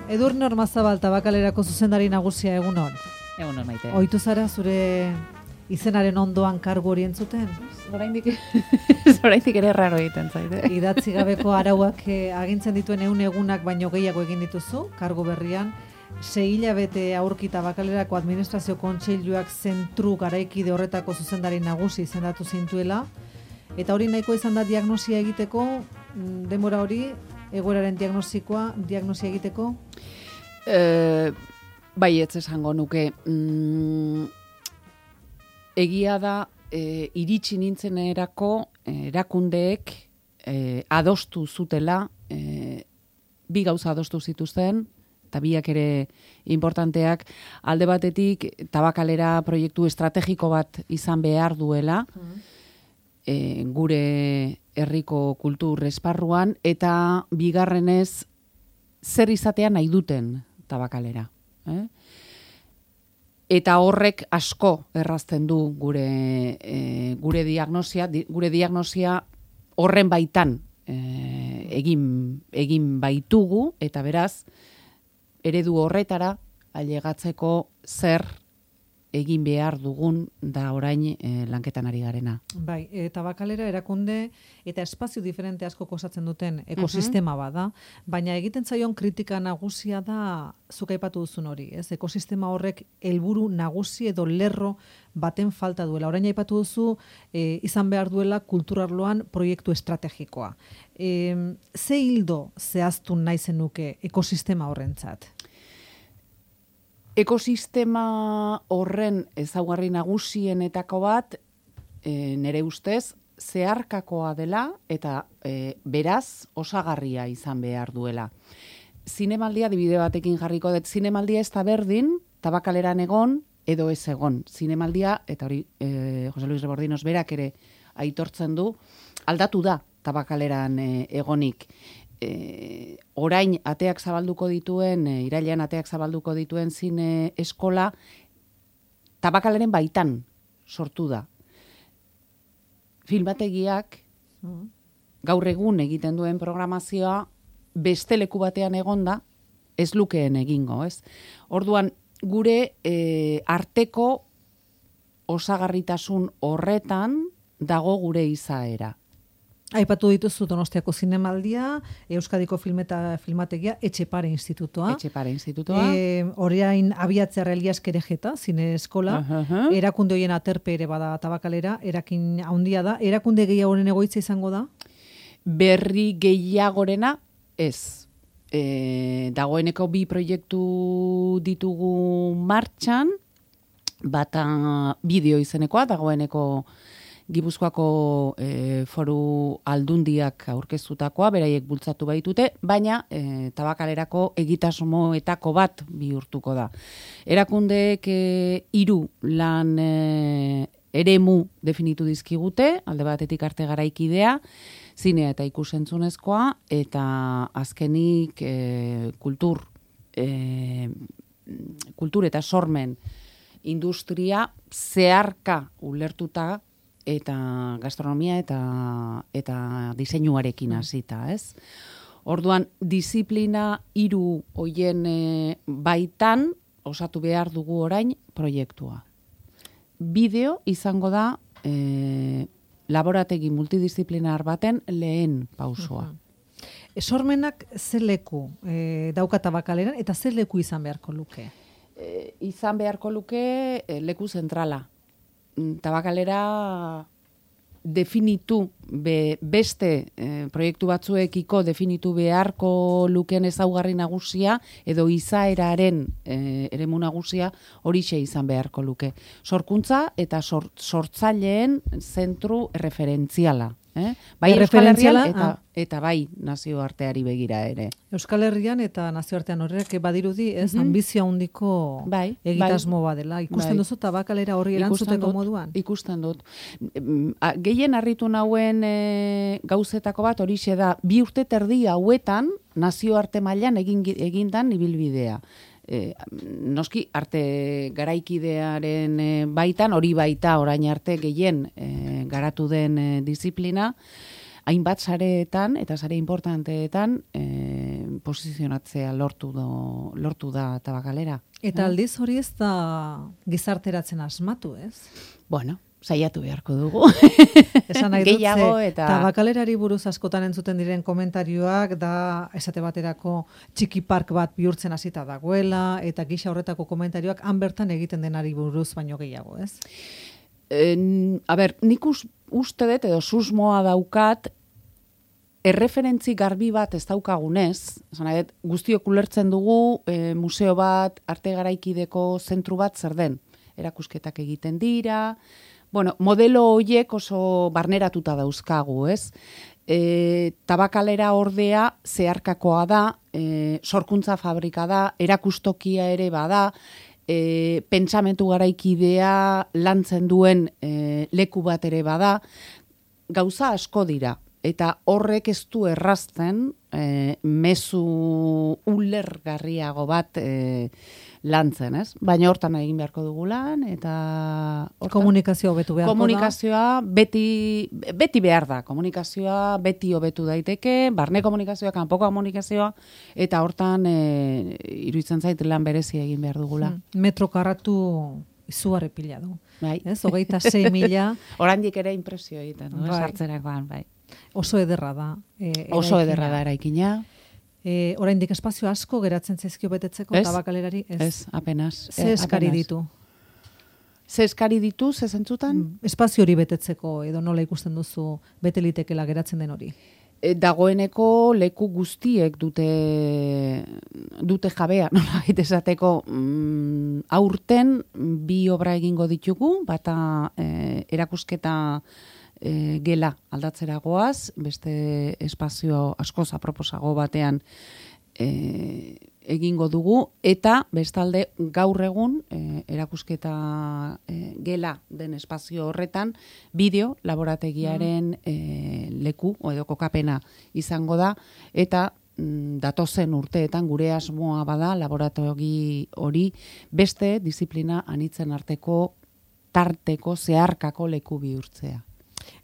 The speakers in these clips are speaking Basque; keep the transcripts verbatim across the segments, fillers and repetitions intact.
Edurne Ormazabal Tabakalerako zuzendari nagusia, egunon. Egunon, Maite. Ohitu zara zure izenaren ondoan kargu hori entzuten? Oraindik oraindik ere raro egiten zaite. Idatzi gabeko arauak eh, agintzen dituen ehun egunak baino gehiago egin dituzu, kargu berrian. Sei hilabete aurki Tabakalerako administrazio kontseiluak zentru garaikide horretako zuzendari nagusi izendatu zintuela. Eta hori nahiko izan da diagnosia egiteko, denbora hori, egoeraren diagnostikoa, diagnosia egiteko? E, bai, ez esango nuke. Mm, egia da, e, iritsi nintzenerako erakundeek e, adostu zutela, e, bi gauza adostu zituzten, eta biak ere importanteak, alde batetik Tabakalera proiektu estrategiko bat izan behar duela, mm. e, gure herriko kultur esparruan, eta bigarrenez zer izatea nahi duten Tabakalera. Eh? Eta horrek asko errazten du gure, e, gure diagnosia, di, gure diagnosia horren baitan e, egin, egin baitugu, eta beraz, eredu horretara ailegatzeko zer egin behar dugun da orain e, lanketan ari garena. Bai, e, Tabakalera erakunde eta espazio diferente asko osatzen duten ekosistema uh-huh. bada, baina egiten zaion kritika nagusia da zuk aipatu duzun hori, ez? Ekosistema horrek helburu nagusi edo lerro baten falta duela. Orain aipatu duzu e, izan behar duela kulturarloan proiektu estrategikoa. E, ze hildo zehaztu nahi zenuke ekosistema horrentzat? Ekosistema horren ezaugarri nagusienetako bat, e, nire ustez, zeharkakoa dela eta e, beraz osagarria izan behar duela. Zinemaldia, adibide batekin jarriko dut, zinemaldia ez da berdin, Tabakaleran egon edo ez egon. Zinemaldia, eta hori e, Jose Luis Rebordinos berak ere aitortzen du, aldatu da Tabakaleran e, egonik. E, orain ateak zabalduko dituen, e, irailean ateak zabalduko dituen zine eskola, Tabakaleren baitan sortu da. Filmategiak gaur egun egiten duen programazioa beste leku batean egonda ez lukeen egingo, ez? Orduan, gure e, arteko osagarritasun horretan dago gure izaera. Aipatu dituzu Donostiako zinemaldia, Euskadiko filmeta filmategia, Etxepare Institutoa. Etxepare Institutoa. E, Orain abiatzea Elias Kerejeta, zine eskola. Uh-huh. Erakunde horien aterpe ere bada Tabakalera, erakin handia da. Erakunde gehiagoren egoitza izango da? Berri gehiagorena ez. E, dagoeneko bi proiektu ditugu martxan, bata bideo izenekoa, dagoeneko Gipuzkoako e, foru aldundiak aurkeztutakoa, beraiek bultzatu baitute, baina e, Tabakalerako egitasmoetako bat bihurtuko da. Erakundeek e, hiru lan e, eremu definitu dizkigute, alde batetik arte garaikidea, zinea eta ikusentzunezkoa, eta azkenik e, kultur, e, kultur eta sormen industria zeharka ulertuta, eta gastronomia eta eta diseinuarekin hasita, ez? Orduan, disiplina hiru hoien e, baitan osatu behar dugu orain proiektua. Bideo izango da e, laborategi multidisziplinar baten lehen pausoa. Uh-huh. Sormenak zer leku e, dauka Tabakaleran eta zer leku izan beharko luke? E, izan beharko luke e, leku zentrala. Tabakalera definitu be, beste eh, proiektu batzuekiko definitu beharko luken ezaugarri nagusia edo izaeraren eh, eremu nagusia horixe izan beharko luke. Sorkuntza eta sor, sortzaileen zentru referentziala. Eh? Bai Euskal Herrian eta, ah. eta bai nazioarteari begira ere. Euskal Herrian eta nazioartean horrek badirudi ez mm-hmm. ambizio handiko bai, egitasmo bai. Badela. Ikusten bai. Duzu Tabakalera horri erantzuteko moduan? Ikusten dut. Gehien harritu nauen e, gauzetako bat horixe da, bi urte terdi hauetan nazioarte mailan egin, egindan ibilbidea. E, noski arte garaikidearen e, baitan, hori baita orain arte gehien e, garatu den e, disiplina, hainbat sareetan eta sare importanteetan e, posizionatzea lortu, do, lortu da tabakalera. Eta aldiz hori ez da gizarteratzen asmatu, ez? Bueno, saiatu beharko dugu. Esan nahi dut, Gehiago eta... Tabakalerari buruz askotan entzuten diren komentarioak da, esate baterako txiki park bat bihurtzen hasita dagoela, eta gisa horretako komentarioak han bertan egiten denari buruz baino gehiago, ez? En, a ber, nik uste dut edo susmoa daukat, erreferentzi garbi bat ez daukagunez, esan nahi dut, guztiok ulertzen dugu e, museo bat, arte garaikideko zentru bat zer den. Erakusketak egiten dira, bueno, modelo horiek oso barneratuta dauzkagu, ez? E, tabakalera ordea zeharkakoa da, e, sorkuntza fabrika da, erakustokia ere bada, e, pentsamentu garaikidea lantzen duen e, leku bat ere bada, gauza asko dira. Eta horrek ez du errazten e, mezu ulergarriago bat e, lantzen, ez? Baina hortan egin beharko dugu lan, eta... Hortan, komunikazioa hobetu beharko komunikazioa da? Beti, beti behar da. Komunikazioa beti hobetu daiteke, barne komunikazioa, kanpoko komunikazioa, eta hortan e, iruditzen zait lan berezia egin behar dugula. Hmm. Metro karratu izugarri pila du. Bai. Ez? Hogeita sei mila. Oraindik ere impresio egiten, no? Bai. Sartzerakoan, bai. Oso ederra da. E, Oso ederra da eraikina. E, oraindik espazio asko geratzen zaizkio betetzeko tabakalerari? Ez, ez apenas. Ze eskari apenas. ditu? Ze eskari ditu, ze zentzutan? Espazio hori betetzeko, edo nola ikusten duzu bete litekela geratzen den hori? E, dagoeneko leku guztiek dute dute jabea, nola baita esateko, mm, aurten bi obra egingo ditugu, bata e, erakusketa E, gela aldatzera goaz, beste espazio askoz aproposago batean e, egingo dugu, eta bestalde gaur egun e, erakusketa e, gela den espazio horretan bideo laborategiaren e, leku edo kokapena izango da, eta mm, datozen urteetan gure asmoa bada laborategi hori beste disiplina anitzen arteko tarteko zeharkako leku bihurtzea.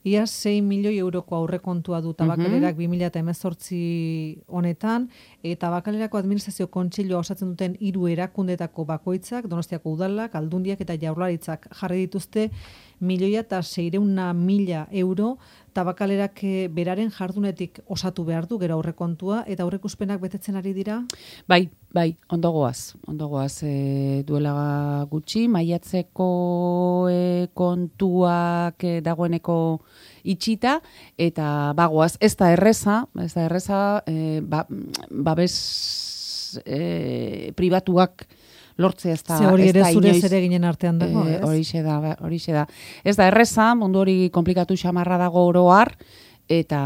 Ia sei milioi euroko aurrekontua du tabakalerak bi mila hemezortzi honetan, eta tabakalerako administrazio kontseilua osatzen duten hiru erakundetako bakoitzak, Donostiako udalak, Aldundiak eta Jaurlaritzak jarri dituzte milioia eta seireuna mila euro tabakalerak beraren jardunetik osatu behar du gero aurrekontua, eta aurreikuspenak betetzen ari dira? Bai, bai, ondo goaz. Ondo goaz e, duela gutxi, maiatzeko e, kontuak e, dagoeneko itxita, eta bagoaz, ez da erreza, ez da erreza, e, ba, babes e, pribatuak lortzea ez da. Ze hori ere zure ere ginen artean dago, ez? Horixe da, horixe da. Ez da erreza, mundu hori komplikatu xamarra dago oroar, eta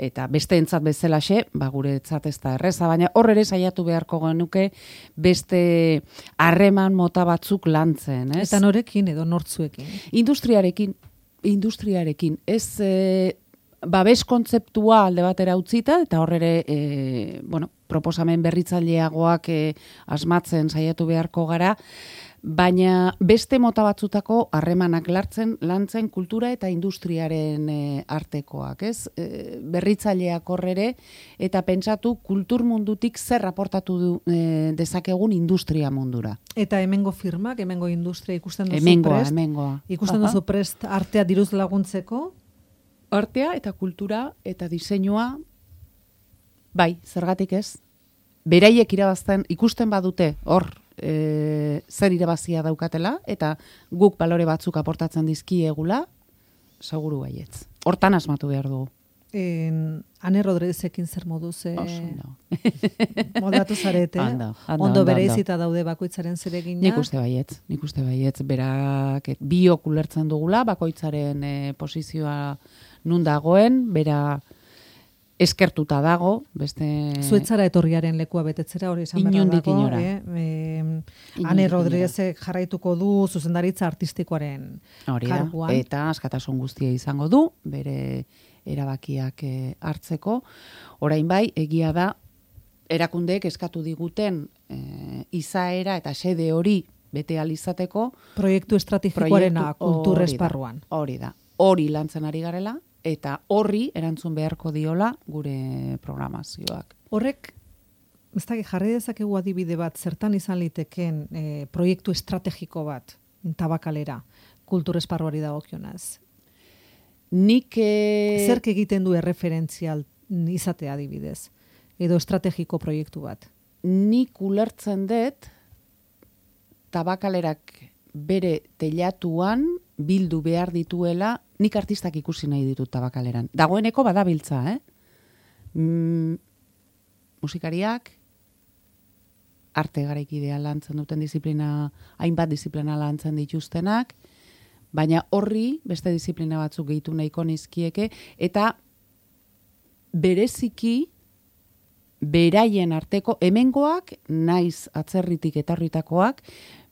eta besteentzat bezalaxe, ba guretzat ez da erreza, baina hor ere saiatu beharko genuke beste harreman mota batzuk lantzen, ez? Eta norekin edo nortzuekin? Industriarekin, industriarekin, ez e, babes kontzeptua alde batera utzita, eta hor ere, e, bueno, proposamen berritzaileagoak e, asmatzen saiatu beharko gara, baina beste mota batzutako harremanak lartzen, lantzen kultura eta industriaren e, artekoak, ez? E, berritzaileak horrere, eta pentsatu kultur mundutik zer raportatu du, e, dezakegun industria mundura. Eta hemengo firmak, hemengo industria ikusten duzu hemengoa, prest? Hemengoa, Ikusten duzu prest artea diruz laguntzeko? Artea eta kultura eta diseinua, bai, zergatik ez? Beraiek irabazten, ikusten badute, hor, e, zer irabazia daukatela, eta guk balore batzuk aportatzen dizkiegula, seguru baietz. Hortan asmatu behar dugu. En, Ane Rodriguezekin zer moduz e, no. moldatu zarete, ando, ando, ondo ando, bereizita daude bakoitzaren zeregina. Nik uste baietz, nik uste baietz, berak biok ulertzen dugula, bakoitzaren e, posizioa nun dagoen, bera eskertuta dago, beste... Zuetzara etorriaren lekua betetzera hori esan behar dago. Inora. Eh? E, Ane Rodriguezek jarraituko du zuzendaritza artistikoaren hori karguan. Da, eta askatasun guztia izango du, bere erabakiak hartzeko. Orain bai, egia da, erakundeek eskatu diguten e, izaera eta xede hori bete alizateko. Proiektu estrategikoarena kultur esparruan. Hori da, hori lantzen ari garela, eta horri erantzun beharko diola gure programazioak. Horrek ez da, jarri dezakegu adibide bat, zertan izan liteken e, proiektu estrategiko bat, Tabakalera, kultur esparruari dagokionaz. Nik... E... Zerk egiten du erreferentzial izatea adibidez, edo estrategiko proiektu bat? Nik ulertzen dut, Tabakalerak bere telatuan bildu behar dituela, nik artistak ikusi nahi ditut Tabakaleran. Dagoeneko badabiltza, eh? Mm, musikariak, arte garaikidea lantzen duten disiplina, hainbat disiplina lantzen dituztenak, baina horri beste disiplina batzuk gehitu nahiko nizkieke, eta bereziki beraien arteko, hemengoak, naiz atzerritik etorritakoak,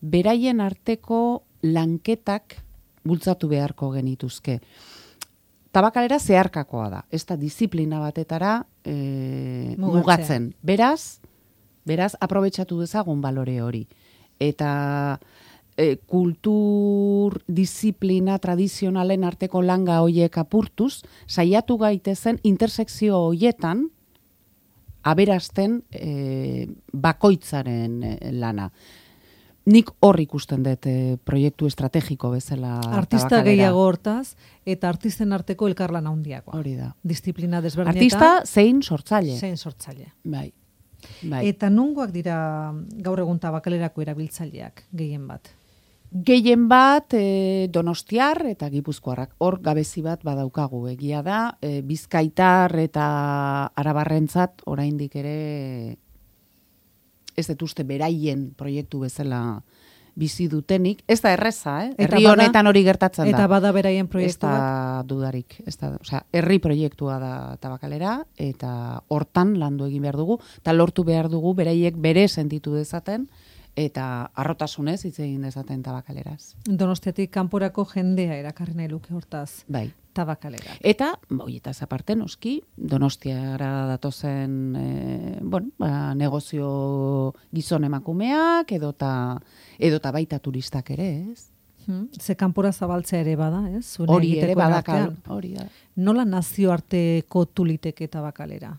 beraien arteko lanketak bultzatu beharko genituzke. Tabakalera zeharkakoa da, ez da disiplina batetara e, mugatzen. Beraz, beraz, aprobetxatu dezagun balore hori. Eta e, kultur, disiplina, tradizionalen arteko langa hoiek apurtuz, saiatu gaitezen intersekzio hoietan, aberazten e, bakoitzaren e, lana. Nik hor ikusten dut e, proiektu estrategiko bezala Artista Tabakalera. Gehiago hortaz, eta artisten arteko elkarlan handiagoa. Hori da. Disiplina desberdinetan. Artista zein sortzaile. Zein sortzaile. Bai. Bai. Eta nongoak dira gaur egun Tabakalerako erabiltzaileak gehien bat? Gehien bat e, Donostiar eta Gipuzkoarrak. Hor gabezi bat badaukagu. Egia da, e, Bizkaitar eta Arabarrentzat oraindik ere ez dut uste beraien proiektu bezala bizi dutenik. Ez da erreza, eh? Herri honetan hori gertatzen da. Eta bada beraien proiektu bat? Ez da dudarik. Ez da, osea, herri proiektua da Tabakalera, eta hortan landu egin behar dugu, eta lortu behar dugu beraiek bere sentitu dezaten, eta harrotasunez hitz egin dezaten Tabakaleraz. Donostiatik kanporako jendea erakarri nahi luke hortaz. Bai. Tabakalera. Eta, hoietaz aparte, noski, Donostiara datozen e, bueno, ba, negozio gizon emakumeak, edota, edota baita turistak ere, ez? Hmm. Ze kanpora zabaltzea ere bada, ez? Zune Hori ere badakal, artean. hori da. Nola nazioarteko tuliteke Tabakalera?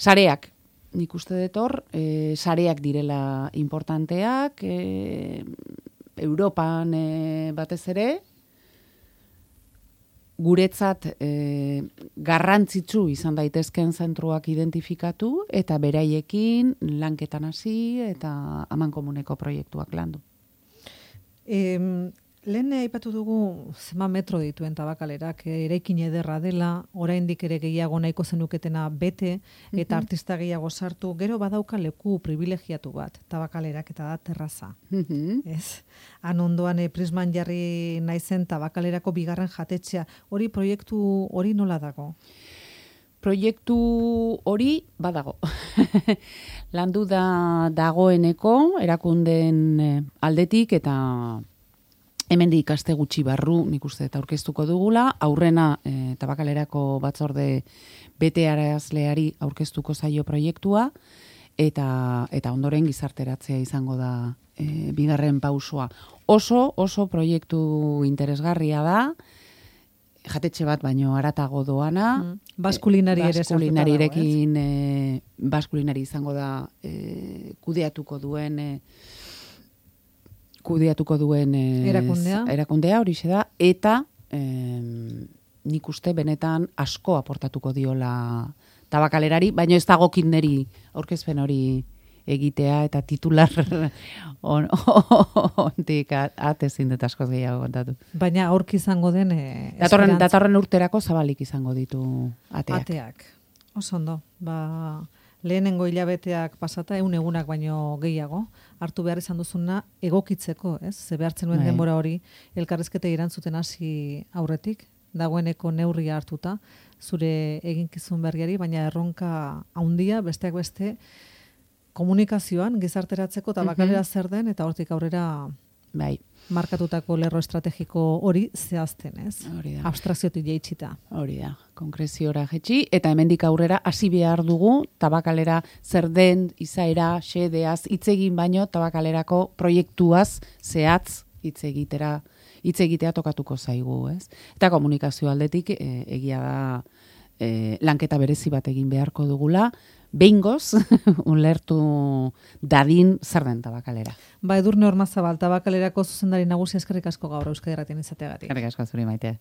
Sareak, nik uste dut hor, e, sareak direla importanteak, e, Europan e, batez ere, guretzat e, garrantzitsu izan daitezken zentruak identifikatu eta beraiekin lanketan hasi eta amankomuneko proiektuak landu. E, lehen aipatu dugu zema metro dituen Tabakalerak, eraikin ederra dela, oraindik ere gehiago nahiko zenuketena bete, eta artista gehiago sartu, gero badauka leku privilegiatu bat, Tabakalerak, eta da terraza. Mm-hmm. Ez? Han ondoan e, prisman jarri naizen Tabakalerako bigarren jatetxea, hori proiektu hori nola dago? Proiektu hori badago. Landu da dagoeneko, erakundeen aldetik, eta hemendik aste gutxi barru, nik uste eta aurkeztuko dugula, aurrena e, Tabakalerako batzorde betearazleari aurkeztuko zaio proiektua, eta, eta ondoren gizarteratzea izango da e, bigarren pausua. Oso, oso proiektu interesgarria da, jatetxe bat baino haratago doana. Mm. Baskulinari ere sartuta dago, Baskulinarirekin e, baskulinari izango da e, kudeatuko duen... E, kudeatuko duen eh, erakundea, erakundea hori da, eta eh, nik uste benetan asko aportatuko diola Tabakalerari, baina ez dagokin neri aurkezpen hori egitea eta titular on, ontik atezin dut askoz gehiago kontatu. Baina aurki izango den e, datorren, datorren urterako zabalik izango ditu ateak. Ateak. Oso ondo. Ba, lehenengo hilabeteak pasata, egun egunak baino gehiago, hartu behar izan duzuna egokitzeko, ez? Ze behartzen nuen denbora hori, elkarrezketa irantzuten hasi aurretik, dagoeneko neurria hartuta, zure eginkizun berriari, baina erronka handia, besteak beste, komunikazioan, gizarteratzeko Tabakalera zer den, eta hortik aurrera bai. Markatutako lerro estrategiko hori zehazten, ez? Hori da. Abstrakziotik jaitsita. Hori da, konkreziora jetxi, eta hemendik aurrera hasi behar dugu Tabakalera zer den, izaera, xedeaz, hitz egin baino Tabakalerako proiektuaz zehatz hitz egitera, hitz egitea tokatuko zaigu, ez? Eta komunikazio aldetik e, egia da e, lanketa berezi bat egin beharko dugula, behingoz ulertu dadin zer den tabakalera. Ba, Edurne Ormazabal, Tabakalerako zuzendari nagusia eskerrik asko gaur Euskadi Irratian izateagatik. Eskerrik asko zuri Maite.